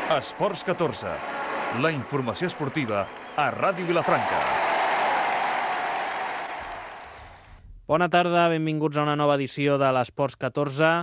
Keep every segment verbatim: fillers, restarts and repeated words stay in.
Esports catorze, la informació esportiva a Ràdio Vilafranca. Bona tarda, benvinguts a una nova edició de l'Esports catorze,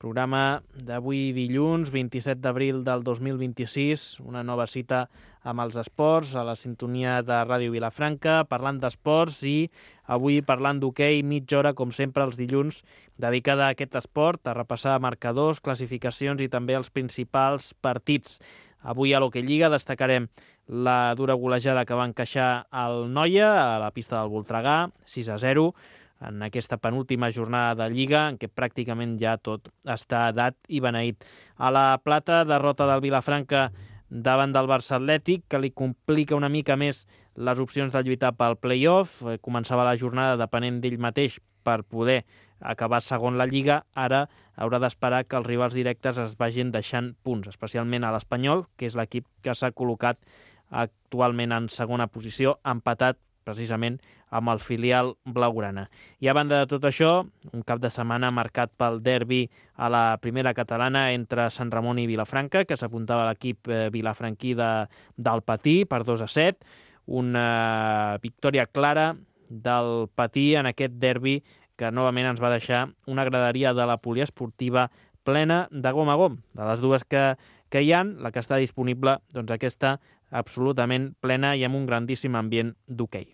programa d'avui dilluns, vint-i-set d'abril del dos mil vint-i-sis, una nova cita amb els esports, a la sintonia de Ràdio Vilafranca, parlant d'esports i avui parlant d'hoquei, mitja hora, com sempre, els dilluns, dedicada a aquest esport, a repassar marcadors, classificacions i també els principals partits. Avui a l'Hoquei Lliga destacarem la dura golejada que va encaixar el Noia a la pista del Voltregà, sis a zero, en aquesta penúltima jornada de Lliga, en què pràcticament ja tot està dat i beneït. A la Plata, derrota del Vilafranca davant del Barça Atlètic, que li complica una mica més les opcions de lluitar pel play-off. Començava la jornada depenent d'ell mateix per poder acabar segon la Lliga. Ara haurà d'esperar que els rivals directes es vagin deixant punts, especialment a l'Espanyol, que és l'equip que s'ha col·locat actualment en segona posició, empatat precisament amb el filial blaugrana. I a banda de tot això, un cap de setmana marcat pel derbi a la primera catalana entre Sant Ramon i Vilafranca, que s'apuntava a l'equip vilafranquí de, del Patí per dos a set. Una victòria clara del Patí en aquest derbi que novament ens va deixar una graderia de la poliesportiva plena de gom a gom. De les dues que, que hi ha, la que està disponible, doncs aquesta absolutament plena i amb un grandíssim ambient d'hoquei.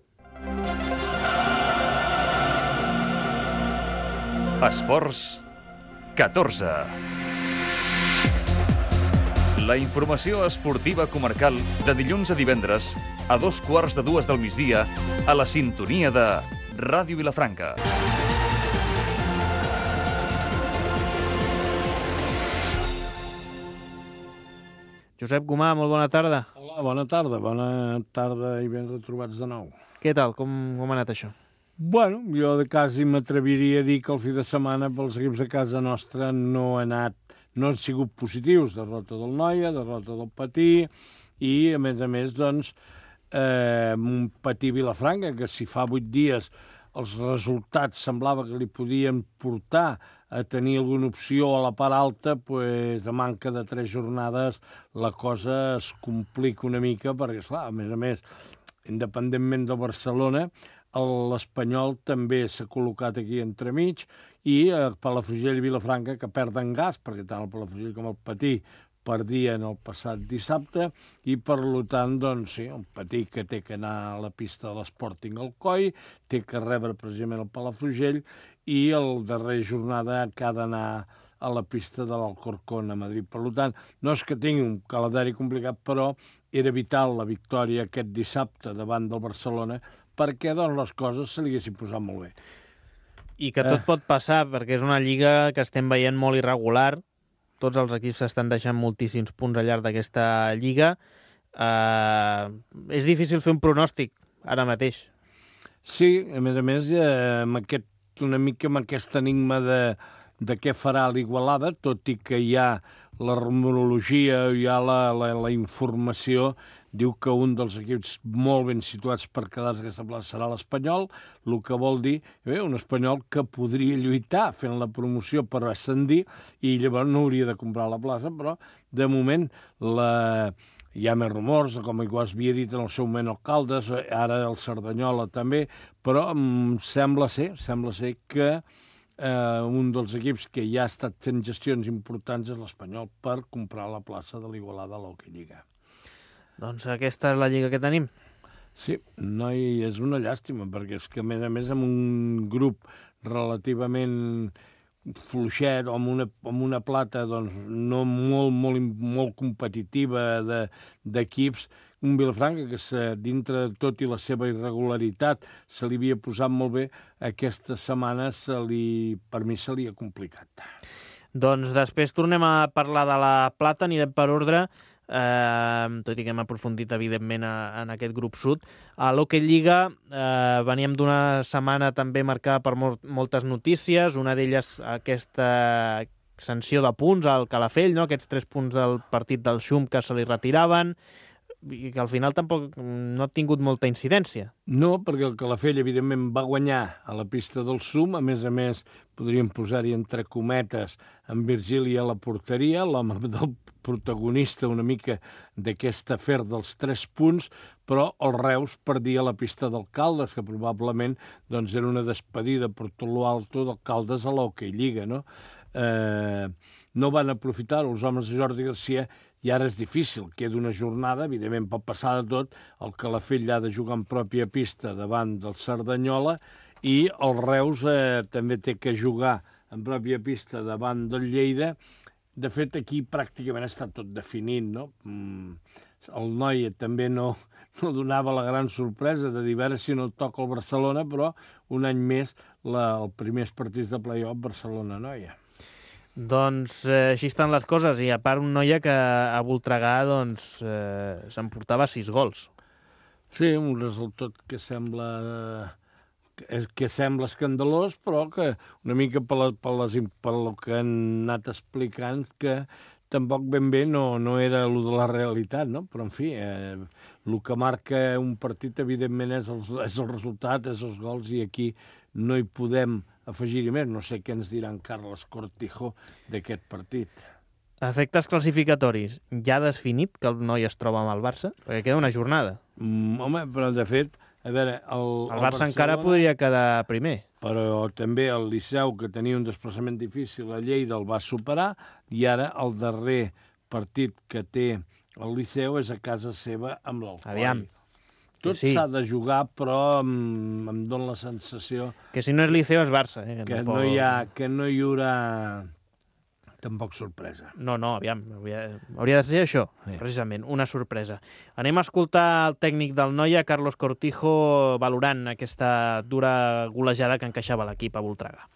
Esports catorze. La informació esportiva comarcal de dilluns a divendres a dos quarts de dues del migdia a la sintonia de Ràdio Vilafranca. Josep Gomà, molt bona tarda. Hola, bona tarda, bona tarda i ben retrobats de nou. Què tal? Com, com ha anat això? Bueno, jo de quasi m'atreviria a dir que el fi de setmana pels equips de casa nostra no ha anat, no han sigut positius. Derrota del Noia, derrota del Patí i, a més a més, doncs, eh, un Patí Vilafranca, que si fa vuit dies els resultats semblava que li podien portar a tenir alguna opció a la part alta, pues, a manca de tres jornades la cosa es complica una mica, perquè, esclar, a més a més, independentment del Barcelona, l'Espanyol també s'ha col·locat aquí entremig i eh, Palafrugell i Vilafranca, que perden gas, perquè tant el Palafrugell com el Patí perdien el passat dissabte i, per tant, doncs, sí, el Patí que té que anar a la pista de l'Sporting Alcoi, té que rebre precisament el Palafrugell i el darrer jornada que ha d'anar a la pista de l'Alcorcón a Madrid. Per tant, no és que tingui un calendari complicat, però era vital la victòria aquest dissabte davant del Barcelona perquè doncs, les coses se li haguessin posat molt bé. I que tot eh. pot passar, perquè és una lliga que estem veient molt irregular. Tots els equips s'estan deixant moltíssims punts al llarg d'aquesta lliga. Eh, és difícil fer un pronòstic ara mateix. Sí, a més a més, eh, amb aquest, una mica amb aquest enigma de, de què farà l'Igualada, tot i que hi ha la rumorologia, hi ha la, la, la informació, diu que un dels equips molt ben situats per quedar-se aquesta plaça serà l'Espanyol, el que vol dir bé, un Espanyol que podria lluitar fent la promoció per ascendir i llavors no hauria de comprar la plaça, però de moment la... hi ha més rumors, com ho havia dit en el seu moment el Caldes, ara el Cerdanyola també, però um, sembla ser, sembla ser que eh, un dels equips que ja ha estat fent gestions importants és l'Espanyol per comprar la plaça de l'Igualada a l'Hoquei Lliga. Doncs aquesta és la lliga que tenim. Sí, no, i és una llàstima, perquè és que, a més a més, amb un grup relativament fluixet, o amb una, amb una plata doncs, no molt, molt, molt competitiva de, d'equips, un Vilafranca que se, dintre de tot i la seva irregularitat se li havia posat molt bé, aquesta setmana se li, per mi se li ha complicat. Doncs després tornem a parlar de la plata, anirem per ordre. Uh, tot i que hem aprofundit evidentment a, en aquest grup sud. A l'Hoquei Lliga uh, veníem d'una setmana també marcada per molt, moltes notícies, una d'elles aquesta sanció de punts al Calafell, no? Aquests tres punts del partit del Xum que se li retiraven, i que al final tampoc no ha tingut molta incidència. No, perquè el Calafell, evidentment, va guanyar a la pista del Sum. A més a més, podríem posar-hi entre cometes en Virgili a la porteria, l'home del protagonista una mica d'aquest afer dels tres punts, però el Reus perdia la pista del Caldes, que probablement doncs, era una despedida per tot lo alto del Caldes a l'Hockey Lliga, no? Eh, no van aprofitar els homes de Jordi Garcia i ara és difícil, queda una jornada, evidentment pot passar de tot, el Calafell ha de jugar en pròpia pista davant del Cerdanyola i el Reus eh, també té que jugar en pròpia pista davant del Lleida. De fet, aquí pràcticament està tot definit, no? El Noia també no, no donava la gran sorpresa de dir a veure si no toca el Barcelona, però un any més la, el primers partits de play-off Barcelona-Noia. Doncs eh, així estan les coses, i a part un Noia que a Voltregà doncs, eh, s'emportava sis gols. Sí, un resultat que sembla, que, que sembla escandalós, però que una mica per, la, per, les, per el que han anat explicant, que tampoc ben bé no, no era el de la realitat, no? Però, en fi, eh, el que marca un partit, evidentment, és el, és el resultat, és els gols, i aquí no hi podem afegir-hi més. No sé què ens diran Carles Cortijo d'aquest partit. A efectes classificatoris, ja ha definit que el Noia es troba amb el Barça? Perquè queda una jornada. Mm, home, però de fet, a veure... El, el, el Barça Barcelona, encara podria quedar primer. Però també el Liceu, que tenia un desplaçament difícil a Lleida, el va superar, i ara el darrer partit que té el Liceu és a casa seva amb l'Alcoi. Aviam. Tot sí. s'ha de jugar, però em, em dóna la sensació... Que si no és Liceu és Barça. Eh? Que, que, no hi ha, que no hi haurà tampoc sorpresa. No, no, aviam, hauria, hauria de ser això, sí. Precisament, una sorpresa. Anem a escoltar el tècnic del Noia, Carlos Cortijo, valorant aquesta dura golejada que encaixava l'equip a Voltregà.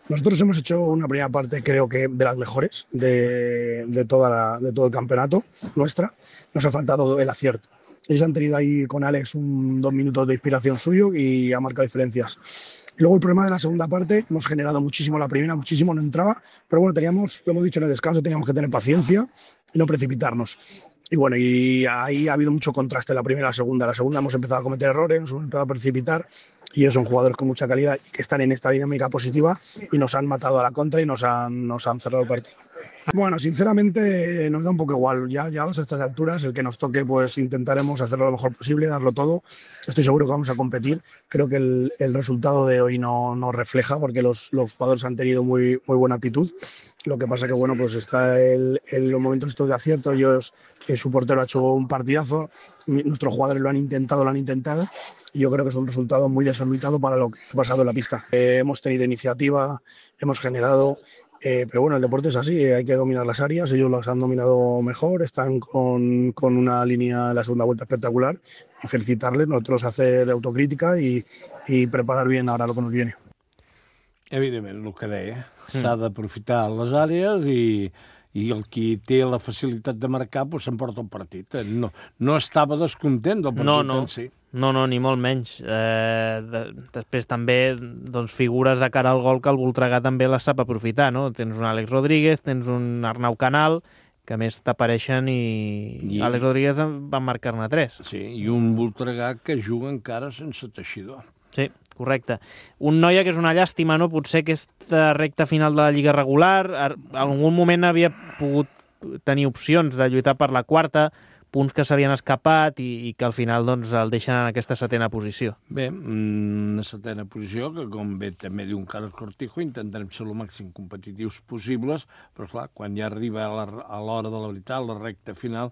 Nosotros hemos hecho una primera parte, creo que de las mejores de, de, toda la, de todo el campeonato nuestra. Nos ha faltado el acierto. Ellos han tenido ahí con Alex un, dos minutos de inspiración suyo y ha marcado diferencias. Luego el problema de la segunda parte, hemos generado muchísimo la primera, muchísimo no entraba, pero bueno, teníamos, lo hemos dicho en el descanso, teníamos que tener paciencia y no precipitarnos. Y bueno, y ahí ha habido mucho contraste en la primera y la segunda. La segunda hemos empezado a cometer errores, nos hemos empezado a precipitar, y ellos son jugadores con mucha calidad y que están en esta dinámica positiva y nos han matado a la contra y nos han, nos han cerrado el partido. Bueno, sinceramente nos da un poco igual. Ya llegados a estas alturas, el que nos toque, pues intentaremos hacerlo lo mejor posible, darlo todo. Estoy seguro que vamos a competir. Creo que el, el resultado de hoy no, no refleja, porque los, los jugadores han tenido muy, muy buena actitud. Lo que pasa que, bueno, pues está el, el, los momentos estos de acierto. Ellos, eh, su portero ha hecho un partidazo. Nuestros jugadores lo han intentado, lo han intentado. Y yo creo que es un resultado muy desorbitado para lo que ha pasado en la pista. Eh, hemos tenido iniciativa, hemos generado... Eh, pero bueno, el deporte es así, hay que dominar las áreas, ellos las han dominado mejor, están con, con una línea de la segunda vuelta espectacular, y felicitarles, nosotros hacer autocrítica y, y preparar bien ahora lo que nos viene. Evidentment, el que deia, mm. s'ha d'aprofitar les àrees i, i el qui té la facilitat de marcar pues, s'emporta el partit. No, no estava descontent del partit no, no. en si. No, no, ni molt menys. Eh, de, després també doncs, figures de cara al gol que el Voltregà també les sap aprofitar, no? Tens un Àlex Rodríguez, tens un Arnau Canal, que a més t'apareixen i... I Àlex Rodríguez va marcar-ne tres. Sí, i un Voltregà que juga encara sense teixidor. Sí, correcte. Un Noia que és una llàstima, no? Potser aquesta recta final de la Lliga regular, en algun moment havia pogut tenir opcions de lluitar per la quarta, punts que s'havien escapat i, i que al final doncs, el deixen en aquesta setena posició. Bé, una setena posició que, com bé també diu un Carles Cortijo, intentarem ser el màxim competitius possibles, però clar, quan ja arriba a l'hora de la veritat, la recta final,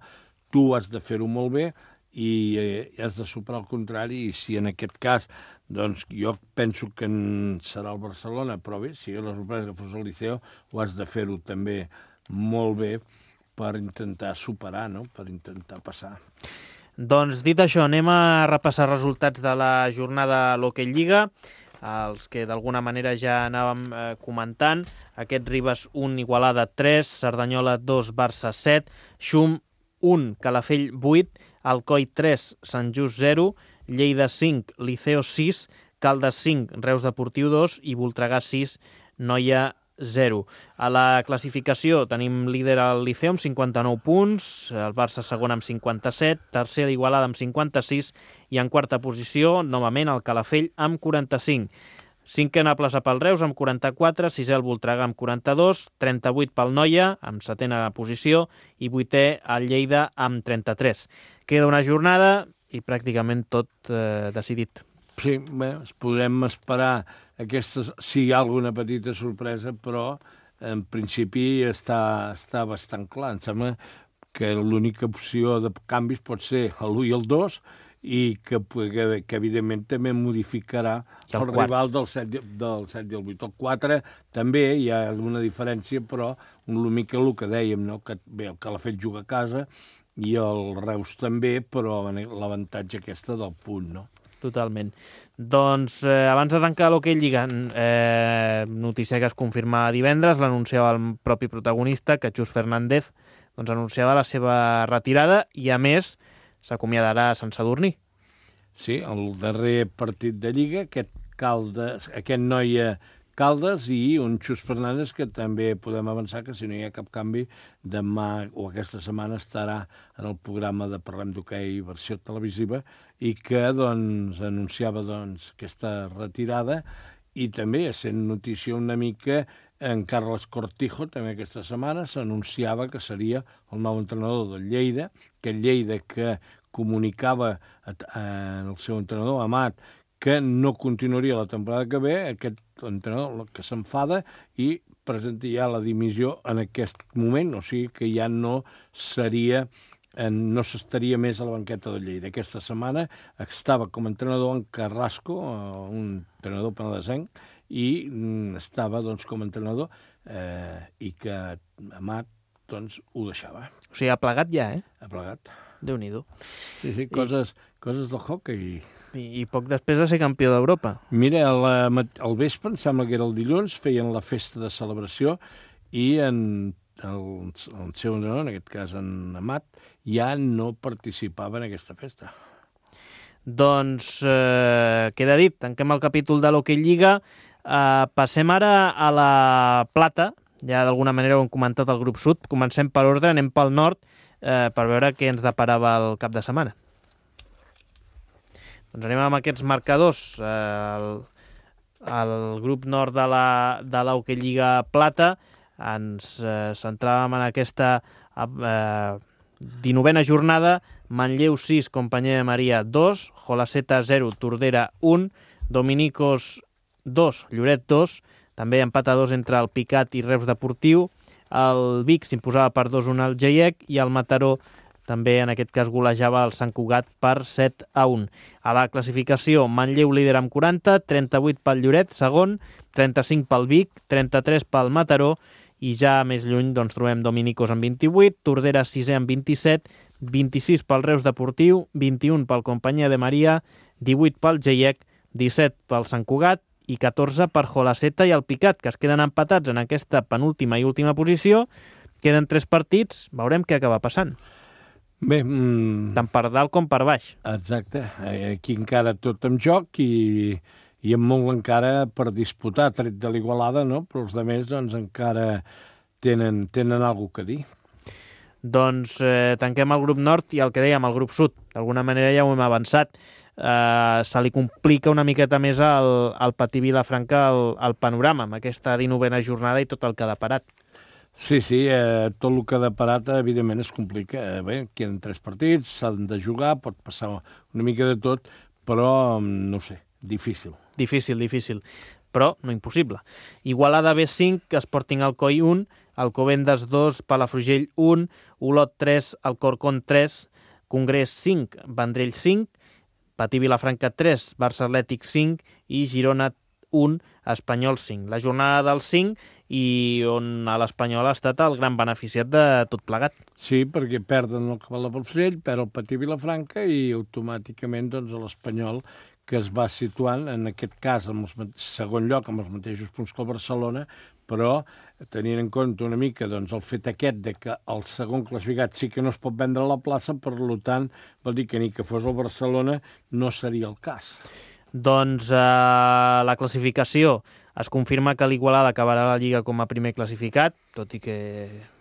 tu has de fer-ho molt bé i eh, has de superar el contrari, i si en aquest cas, doncs jo penso que serà el Barcelona, però bé, si la sorpresa que fos el Liceu, ho has de fer-ho també molt bé, per intentar superar, no? Per intentar passar. Doncs dit això, anem a repassar resultats de la jornada a l'Hockey Lliga, els que d'alguna manera ja anàvem eh, comentant. Aquest Ribes un, Igualada tres, Cerdanyola dos, Barça set, Xum un, Calafell vuit, Alcoi tres, Sant Just zero, Lleida cinc, Liceo sis, Caldes cinc, Reus Deportiu dos i Voltregà sis, Noia zero. A la classificació tenim líder el Liceu amb cinquanta-nou punts, el Barça segon amb cinquanta-set, tercer l'Igualada amb cinquanta-sis i en quarta posició, novament, el Calafell amb quaranta-cinc. Cinquena plaça pel Reus amb quaranta-quatre, sisè el Voltregà amb quaranta-dos, trenta-vuit pel Noia amb setena posició i vuitè el Lleida amb trenta-tres. Queda una jornada i pràcticament tot eh, decidit. Sí, bé, podem esperar aquestes, si hi ha alguna petita sorpresa, però en principi està, està bastant clar. Em sembla que l'única opció de canvis pot ser l'u i el dos, i que, que, que evidentment també modificarà el, el rival del set, del set i el vuit. El quatre també hi ha alguna diferència, però una mica el que dèiem, no? Que bé, el Calafell juga a casa i el Reus també, però l'avantatge aquesta del punt, no? Totalment. Doncs eh, abans de tancar l'Hockey Lliga, eh, notícia que es confirma divendres, l'anunciava el propi protagonista, que Chus Fernández doncs, anunciava la seva retirada i, a més, s'acomiadarà a Sant Sadurní. Sí, el darrer partit de Lliga, aquest Caldes, aquest Noia Caldes i un Chus Fernández que també podem avançar que si no hi ha cap canvi, demà o aquesta setmana estarà en el programa de Parlem d'Hoquei versió televisiva i que doncs, anunciava doncs, aquesta retirada i també, sent notícia una mica, en Carles Cortijo, també aquesta setmana, s'anunciava que seria el nou entrenador del Lleida, que el Lleida que comunicava en el seu entrenador, Amat, que no continuaria la temporada que ve, aquest entrenador que s'enfada i presenta ja la dimissió en aquest moment, o sigui que ja no seria, no s'estaria més a la banqueta del Lleida. Aquesta setmana estava com a entrenador en Carrasco, un entrenador penedesenc, i estava doncs, com a entrenador eh, i que Amat doncs, ho deixava. O sigui, ha plegat ja, eh? Ha plegat. Déu-n'hi-do. Sí, sí, coses, I... coses del hockey. I, I poc després de ser campió d'Europa. Mira, al, al vespre, em sembla que era el dilluns, feien la festa de celebració i en el, el seu entrenador, en aquest cas en Amat, ja no participava en aquesta festa. Doncs eh, queda dit, tanquem el capítol de l'Hockey Lliga. Uh, passem ara a la plata, ja d'alguna manera ho hem comentat al grup sud, comencem per ordre, anem pel nord uh, per veure què ens deparava el cap de setmana. Doncs anem amb aquests marcadors. Uh, el, el grup nord de la, de l'Hockey Lliga Plata ens uh, centràvem en aquesta uh, dinovena jornada. Manlleu sis, Companyia de Maria dos, Jolaseta zero, Tordera un, Dominicos dos, Lloret dos, també empat a dos entre el Picat i Reus Deportiu, el Vic s'imposava per dos a un al Geiec i el Mataró també en aquest cas golejava el Sant Cugat per set a un. A la classificació, Manlleu líder amb quaranta, trenta-vuit pel Lloret, segon, trenta-cinc pel Vic, trenta-tres pel Mataró i ja més lluny doncs, trobem Dominicos amb vint-i-vuit, Tordera sisè amb vint-i-set, vint-i-sis pel Reus Deportiu, vint-i-un pel Companyia de Maria, divuit pel Geiec, disset pel Sant Cugat i catorze per Jolaseta i el Picat, que es queden empatats en aquesta penúltima i última posició. Queden tres partits, veurem què acaba passant. Bé, mm... tant per dalt com per baix. Exacte, aquí encara tot en joc i, i amb molt encara per disputar, tret de l'Igualada, no? Però els altres doncs, encara tenen, tenen alguna cosa a dir. Doncs eh, tanquem el grup nord i el que dèiem, el grup sud. D'alguna manera ja ho hem avançat. Eh, se li complica una miqueta més al, al Patí Vilafranca el, el panorama amb aquesta dinovena jornada i tot el que ha deparat. Sí, sí, eh, tot el que ha deparat evidentment es complica. Eh, bé, queden tres partits, s'han de jugar, pot passar una mica de tot, però no sé, difícil. Difícil, difícil, però no impossible. Igualada B cinc, Sporting Alcoi un, Alcobendas dos, Palafrugell un, Olot tres, Alcorcón tres, Congrés cinc, Vendrell cinc, Patí Vilafranca tres, Barça Atlètic cinc i Girona un, Espanyol cinc. La jornada del cinc i on l'Espanyol ha estat el gran beneficiat de tot plegat. Sí, perquè perden el Cabal de Palafrugell, perd el Patí Vilafranca i automàticament doncs, l'Espanyol que es va situant, en aquest cas, en el segon lloc, amb els mateixos punts que el Barcelona, però tenint en compte una mica doncs, el fet aquest de que el segon classificat sí que no es pot vendre a la plaça, per tant, vol dir que ni que fos el Barcelona no seria el cas. Doncs eh, la classificació, Es confirma que l'Igualada acabarà la Lliga com a primer classificat, tot i que,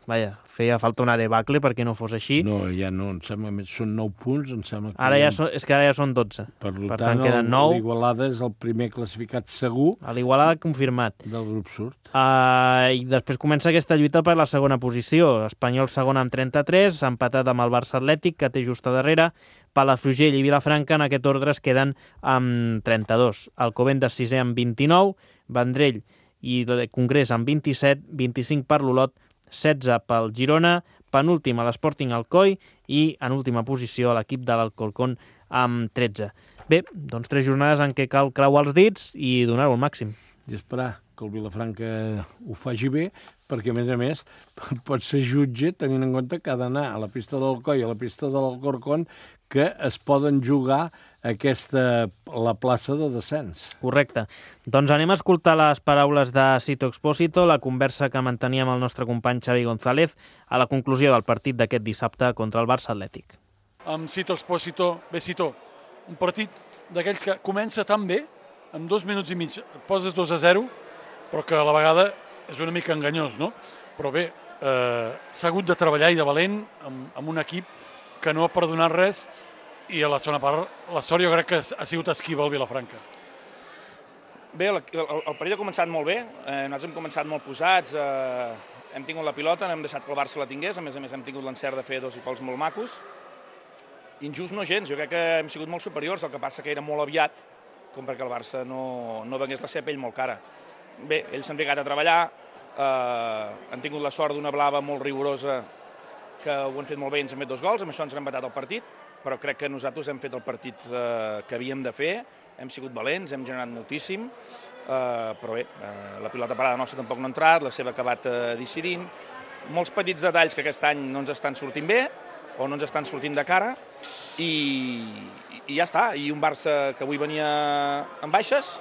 vaja, feia falta una debacle perquè no fos així. No, ja no, em sembla que són nou punts, em sembla que... Ara ja són, és que ara ja són dotze. Per, per tant, tant, queden nou. L'Igualada és el primer classificat segur. L'Igualada confirmat. Del grup surt. Uh, I després comença aquesta lluita per la segona posició. Espanyol segon amb trenta-tres, empatat amb el Barça Atlètic, que té just a darrere. Palafrugell i Vilafranca en aquest ordre es queden amb trenta-dos. Alcobendas sisè amb vint-i-nou, Vendrell i Congrés amb vint-i-set, vint-i-cinc per l'Olot, setze pel Girona, penúltim a l'Sporting Alcoi i en última posició l'equip de l'Alcorcón amb tretze. Bé, doncs tres jornades en què cal creuar els dits i donar-ho al màxim. I esperar que el Vilafranca ho faci bé, perquè, a més a més, pot ser jutge tenint en compte que ha d'anar a la pista de l'Alcoi i a la pista de l'Alcorcón, que es poden jugar aquesta, la plaça de descens. Correcte. Doncs anem a escoltar les paraules de Sito Expósito, la conversa que manteníem amb el nostre company Xavi González a la conclusió del partit d'aquest dissabte contra el Barça Atlètic. Amb Sito Expósito, bé Sito, un partit d'aquells que comença tan bé, en dos minuts i mig et poses dos a zero, però que a la vegada és una mica enganyós, no? Però bé, eh, s'ha hagut de treballar i de valent amb, amb un equip que no ha perdonat res, i a la segona part la sort jo crec que ha sigut esquiva al Vilafranca. Bé, el, el, el partit ha començat molt bé, eh, nosaltres hem començat molt posats, eh, hem tingut la pilota, no hem deixat que el Barça la tingués, a més a més hem tingut l'encert de fer dos i pols molt macos. Injust no gens, jo crec que hem sigut molt superiors, el que passa que era molt aviat, com perquè el Barça no, no vengués la seva pell molt cara. Bé, ells s'han ficat a treballar, eh, han tingut la sort d'una blava molt rigorosa, que ho han fet molt bé i ens han fet dos gols, amb això ens han empatat el partit, però crec que nosaltres hem fet el partit eh, que havíem de fer, hem sigut valents, hem generat moltíssim, eh, però bé, eh, la pilota parada nostra tampoc no ha entrat, la seva ha acabat eh, decidint, molts petits detalls que aquest any no ens estan sortint bé, o no ens estan sortint de cara, i, i ja està, i un Barça que avui venia amb baixes,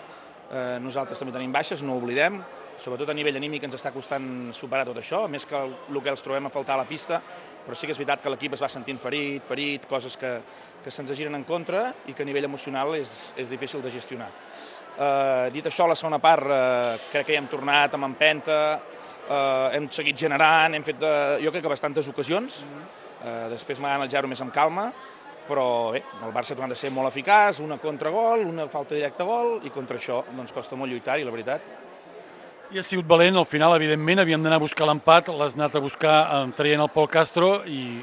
eh, nosaltres també tenim baixes, no ho oblidem, sobretot a nivell anímic ens està costant superar tot això, més que el, el que els trobem a faltar a la pista, però sí que és veritat que l'equip es va sentint ferit, ferit, coses que, que se'ns giren en contra i que a nivell emocional és, és difícil de gestionar. Eh, dit això, la segona part eh, crec que ja hem tornat amb empenta, eh, hem seguit generant, hem fet, eh, jo crec que bastantes ocasions, eh, després m'ha el zero més amb calma, però bé, el Barça ha tornat a ser molt eficaç, una contragol, una falta directa gol, i contra això doncs, costa molt lluitar-hi, la veritat. I ha sigut valent, al final, evidentment, havíem d'anar a buscar l'empat, l'has anat a buscar eh, traient el Pol Castro i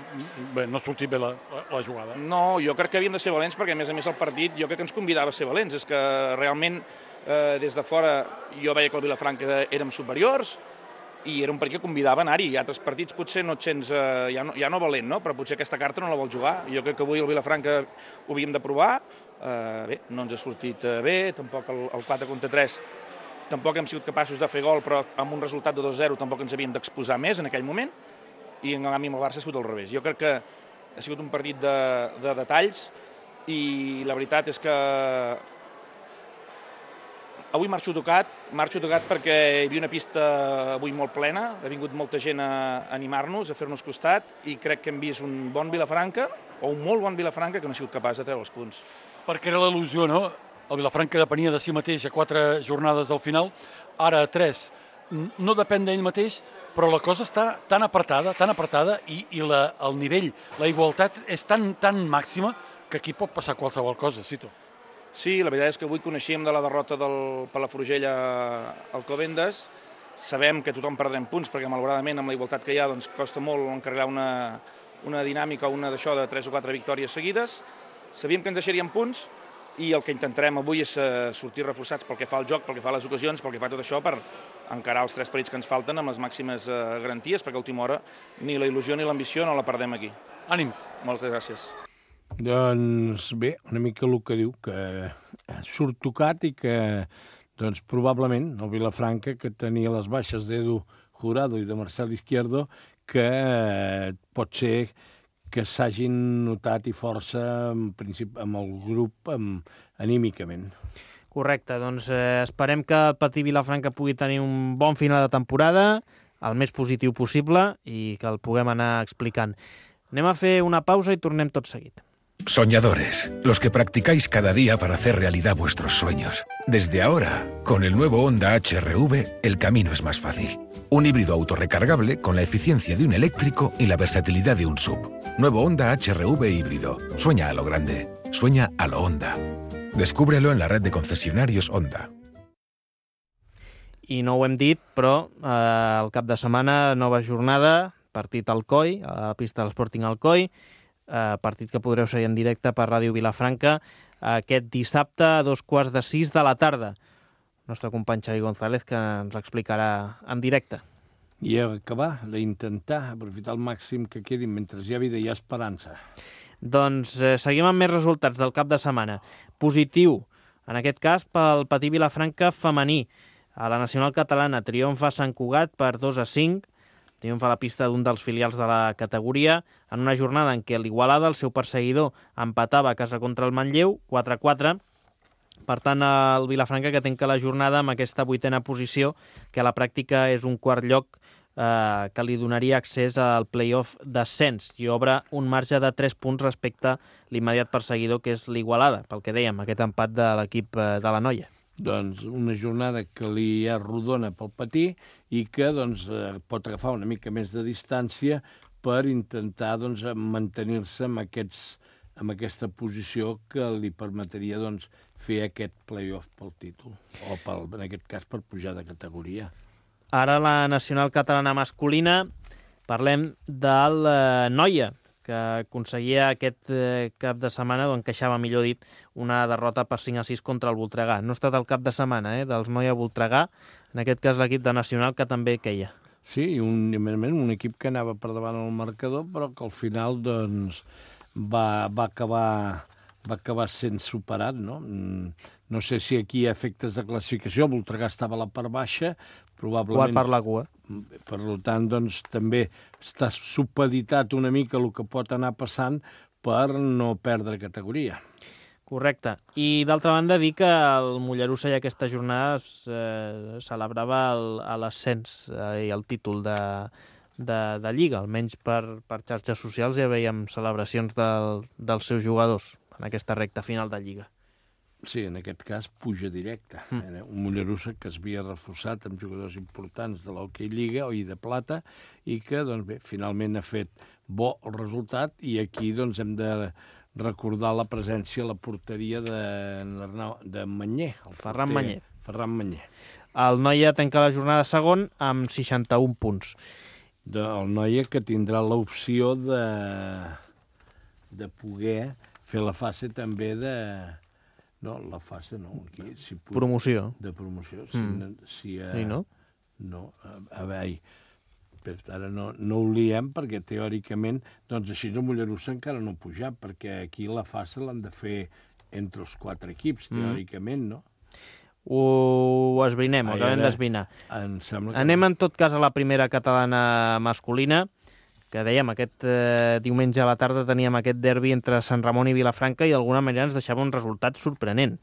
bé, no ha sortit bé la, la, la jugada. No, jo crec que havíem de ser valents perquè, a més a més, el partit jo crec que ens convidava a ser valents. És que realment, eh, des de fora, jo veia que el Vilafranca érem superiors i era un partit que convidava a anar-hi. Altres partits potser no et sents, eh, ja, no, ja no valent, no? Però potser aquesta carta no la vol jugar. Jo crec que avui el Vilafranca ho havíem de provar. Eh, bé, no ens ha sortit eh, bé, tampoc el, el quatre contra tres tampoc hem sigut capaços de fer gol, però amb un resultat de dos a zero tampoc ens havíem d'exposar més en aquell moment, i en canvi amb el Barça ha sigut al revés. Jo crec que ha sigut un partit de, de detalls, i la veritat és que avui marxo tocat, marxo tocat perquè hi havia una pista avui molt plena, ha vingut molta gent a animar-nos, a fer-nos costat, i crec que hem vist un bon Vilafranca, o un molt bon Vilafranca, que no ha sigut capaç de treure els punts. Perquè era l'il·lusió, no? El Vilafranca depenia de si mateix a quatre jornades al final, ara a tres. No depèn d'ell mateix, però la cosa està tan apretada, tan apretada, i, i la, el nivell, la igualtat és tan, tan màxima que aquí pot passar qualsevol cosa, Sito. Sí, la veritat és que avui coneixíem de la derrota del Palafrugell a Alcobendas. Sabem que tothom perdrem punts, perquè malauradament amb la igualtat que hi ha doncs, costa molt encarregar una, una dinàmica, una d'això de tres o quatre victòries seguides. Sabíem que ens deixaríem punts, i el que intentarem avui és sortir reforçats pel que fa al joc, pel que fa a les ocasions, pel que fa a tot això, per encarar els tres partits que ens falten amb les màximes garanties, perquè a última hora ni la il·lusió ni l'ambició no la perdem aquí. Ànims. Moltes gràcies. Doncs bé, una mica el que diu, que surt tocat i que doncs, probablement el Vilafranca, que tenia les baixes d'Edu Jurado i de Marcel Izquierdo, que pot ser que s'hagin notat i força en principi, amb el grup amb, anímicament. Correcte, doncs eh, esperem que el Patí Vilafranca pugui tenir un bon final de temporada, el més positiu possible, i que el puguem anar explicant. Anem a fer una pausa i tornem tot seguit. Soñadores, los que practicáis cada día para hacer realidad vuestros sueños. Desde ahora, con el nuevo Honda H R V, el camino es más fácil. Un híbrido autorrecargable con la eficiencia de un eléctrico y la versatilidad de un S U V. Nuevo Honda H R V híbrido. Sueña a lo grande. Sueña a lo Honda. Descúbrelo en la red de concesionarios Honda. I no ho hem dit, però eh, el cap de setmana, nova jornada, partit al Coi, a la pista de l'Sporting Alcoi, eh, partit que podreu seguir en directe per Ràdio Vilafranca aquest dissabte a dos quarts de sis de la tarda. El nostre company Xavi González, que ens l'explicarà en directe. I acabar d'intentar aprofitar el màxim que quedi mentre hi ha vida i hi ha esperança. Doncs eh, seguim amb més resultats del cap de setmana. Positiu, en aquest cas, pel Patí Vilafranca femení. A la Nacional Catalana triomfa Sant Cugat per dos a cinc, triomfa a la pista d'un dels filials de la categoria, en una jornada en què l'Igualada, el seu perseguidor, empatava a casa contra el Manlleu, quatre a quatre. Per tant, el Vilafranca que tanca la jornada amb aquesta vuitena posició, que a la pràctica és un quart lloc eh, que li donaria accés al play-off d'ascens i obre un marge de tres punts respecte a l'immediat perseguidor, que és l'Igualada, pel que dèiem, aquest empat de l'equip de la Noia. Doncs una jornada que li és rodona pel Patí i que doncs, eh, pot agafar una mica més de distància per intentar doncs, mantenir-se amb, aquests, amb aquesta posició que li permetria doncs, fer aquest play-off pel títol, o pel, en aquest cas per pujar de categoria. Ara la Nacional Catalana masculina, parlem del eh, Noia, que aconseguia aquest eh, cap de setmana, o encaixava, millor dit, una derrota per cinc a sis contra el Voltregà. No ha estat el cap de setmana eh, dels Noia Voltregà, en aquest cas l'equip de Nacional, que també queia. Sí, i un, un equip que anava per davant el marcador, però que al final doncs, va, va, acabar, va acabar sent superat, no? No sé si aquí hi ha efectes de classificació, el Voltregà estava a la part baixa, probablement... Quart per la cua. Per tant, doncs, també està supeditat una mica el que pot anar passant per no perdre categoria. Correcte. I, d'altra banda, dir que el Mollerussa ja aquesta jornada eh, celebrava l'ascens eh, i el títol de, de, de Lliga. Almenys per, per xarxes socials ja veiem celebracions del, dels seus jugadors en aquesta recta final de Lliga. Sí, en aquest cas puja directe. Mm. Un Mollerussa que es havia reforçat amb jugadors importants de l'Hockey Lliga i de plata i que doncs, bé, finalment ha fet bo el resultat i aquí doncs, hem de recordar la presència a la porteria de, de Manyer. El Ferran Manyer. Ferran Manyer. El Noia tanca la jornada segon amb seixanta-un punts. De, el Noia que tindrà l'opció de, de poder fer la fase també de... No, la fase no. Aquí, si puc, promoció. De promoció. Si, mm. si, uh, sí, no? No, a, a veure, ara no, no ho liem perquè teòricament, doncs així el Mollerussa encara no ha pujat, perquè aquí la fase l'han de fer entre els quatre equips, teòricament, no? Ho esbrinem, ho acabem d'esbrinar. Anem en tot cas a la primera catalana masculina, que dèiem, aquest eh, diumenge a la tarda teníem aquest derbi entre Sant Ramon i Vilafranca i d'alguna manera ens deixava un resultat sorprenent.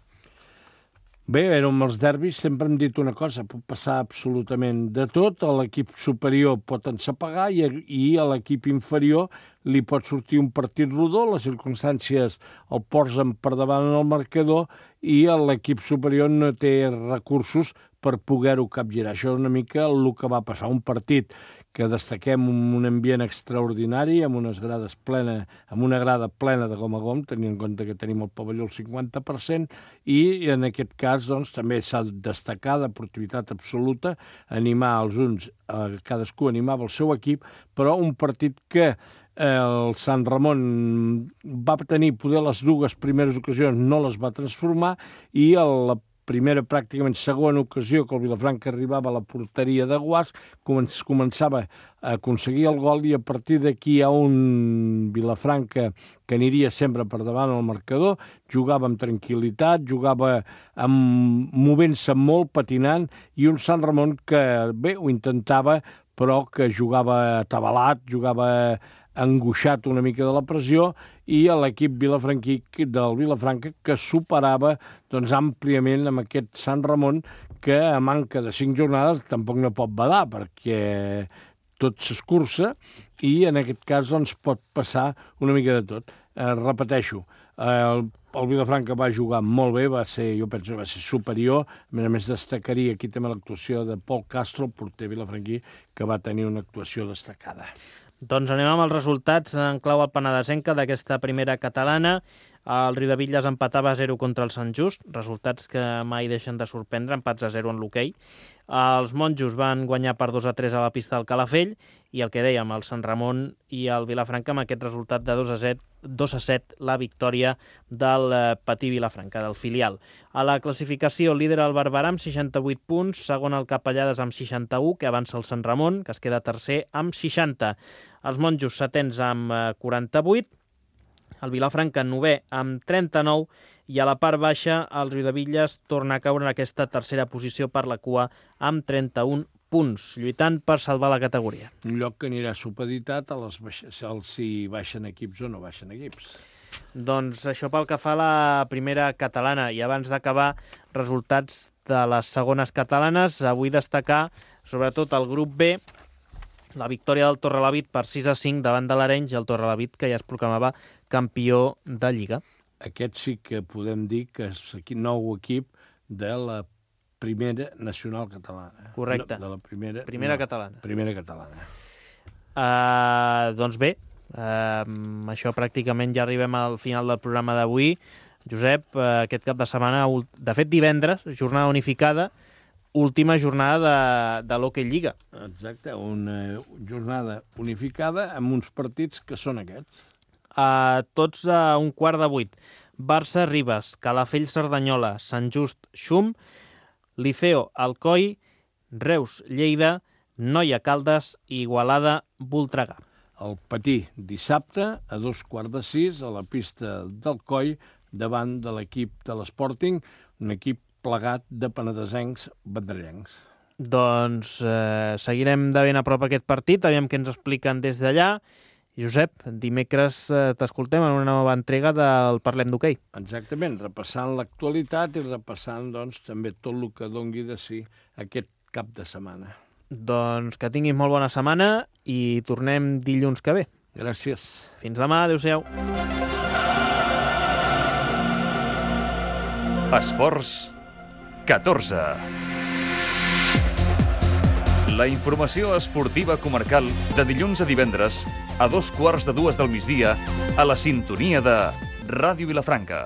Bé, era amb els derbis, sempre hem dit una cosa, pot passar absolutament de tot, a l'equip superior pot ensapegar i, i a l'equip inferior li pot sortir un partit rodó, les circumstàncies el posen per davant en el marcador i l'equip superior no té recursos per poder-ho capgirar. Això és una mica el que va passar, un partit que destaquem un ambient extraordinari, amb unes grades plena, amb una grada plena de gom a gom, tenint en compte que tenim el pavelló al cinquanta per cent, i en aquest cas doncs, també s'ha de destacar deportivitat absoluta, animar els uns, eh, cadascú animava el seu equip, però un partit que el Sant Ramon va tenir poder les dues primeres ocasions, no les va transformar, i la primera, pràcticament segona ocasió que el Vilafranca arribava a la porteria de Guas, començava a aconseguir el gol i a partir d'aquí hi ha un Vilafranca que aniria sempre per davant al marcador, jugava amb tranquil·litat, jugava amb... movent-se molt, patinant, i un Sant Ramon que, bé, ho intentava, però que jugava atabalat, jugava angoixat una mica de la pressió, i a l'equip vilafranquí del Vilafranca que superava doncs, àmpliament amb aquest Sant Ramon que a manca de cinc jornades tampoc no pot badar perquè tot s'escurça i en aquest cas doncs, pot passar una mica de tot. eh, repeteixo, eh, el, el Vilafranca va jugar molt bé, va ser, jo penso que va ser superior. A més a més, destacaria aquí també l'actuació de Pol Castro, el porter vilafranquí, que va tenir una actuació destacada. Doncs anem amb els resultats en clau alpenadesenca d'aquesta primera catalana. El Riudebitlles empatava a zero contra el Sant Just, resultats que mai deixen de sorprendre, empats a zero en l'hoquei. Els monjos van guanyar per dos a tres a la pista del Calafell i el que dèiem, el Sant Ramon i el Vilafranca amb aquest resultat de dos a set la victòria del Patí Vilafranca, del filial. A la classificació, líder el Barberà amb seixanta-vuit punts, segon el Capellades amb seixanta-u, que avança el Sant Ramon, que es queda tercer amb seixanta. Els monjos setens amb quaranta-vuit, el Vilafranca novè amb trenta-nou i a la part baixa el Riudebitlles torna a caure en aquesta tercera posició per la cua amb trenta-un punts, lluitant per salvar la categoria. Un lloc que anirà supeditat a les baix... si baixen equips o no baixen equips. Doncs això pel que fa a la primera catalana. I abans d'acabar, resultats de les segones catalanes, avui destacar sobretot el grup B, la victòria del Torrelavit per sis a cinc davant de l'Arenys i el Torrelavit que ja es proclamava campió de Lliga. Aquest sí que podem dir que és aquí nou equip de la primera nacional catalana. Correcte. No, de la primera, primera no, catalana. Primera catalana. Uh, doncs bé, uh, això pràcticament ja arribem al final del programa d'avui. Josep, uh, aquest cap de setmana, de fet divendres, jornada unificada, última jornada de, de l'Hockey Lliga. Exacte, una jornada unificada amb uns partits que són aquests. Uh, tots a un quart de vuit. Barça, Ribes, Calafell, Cerdanyola, Sant Just, Xum, Liceo, Alcoi, Reus, Lleida, Noia, Caldes i Igualada, Voltregà. El Patí, dissabte, a dos quarts de sis, a la pista d'Alcoi, davant de l'equip de l'Sporting, un equip plegat de penedesencs vendrellencs. Doncs eh, seguirem de ben a prop aquest partit, aviam què ens expliquen des d'allà. Josep, dimecres eh, t'escoltem en una nova entrega del Parlem d'Hoquei. Exactament, repassant l'actualitat i repassant doncs, també tot el que dongui de si aquest cap de setmana. Doncs que tinguis molt bona setmana i tornem dilluns que ve. Gràcies. Fins demà, adéu-siau. Esports catorze. La informació esportiva comarcal de dilluns a divendres a dos quarts de dues del migdia a la sintonia de Ràdio Vilafranca.